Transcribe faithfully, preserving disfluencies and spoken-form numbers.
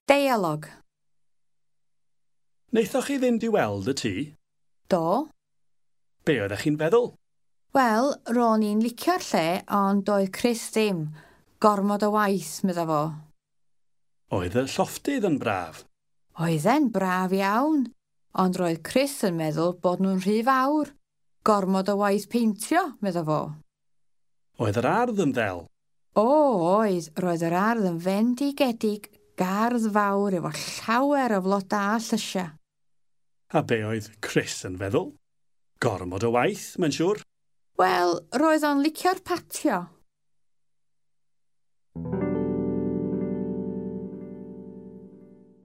Deialog. Wnaethoch chi fynd i weld y tŷ? Do. Be oeddech chi'n feddwl? Wel, ro'n i'n licio'r lle, ond doedd Chris ddim. Gormod o waith, medda fo. Oedd y llofftydd yn braf? Oedd e'n braf iawn, ond roedd Chris yn meddwl bod nhw'n rhy fawr. Gormod o waith peintio, medda fo. Oedd yr ardd yn ddel? O, oedd, roedd yr ardd yn fendigedig, gardd fawr efo llawer o floda a llysia. A be oedd Chris yn feddwl? Gormod o waith, mae'n siŵr. Wel, roedd o'n licio'r patio.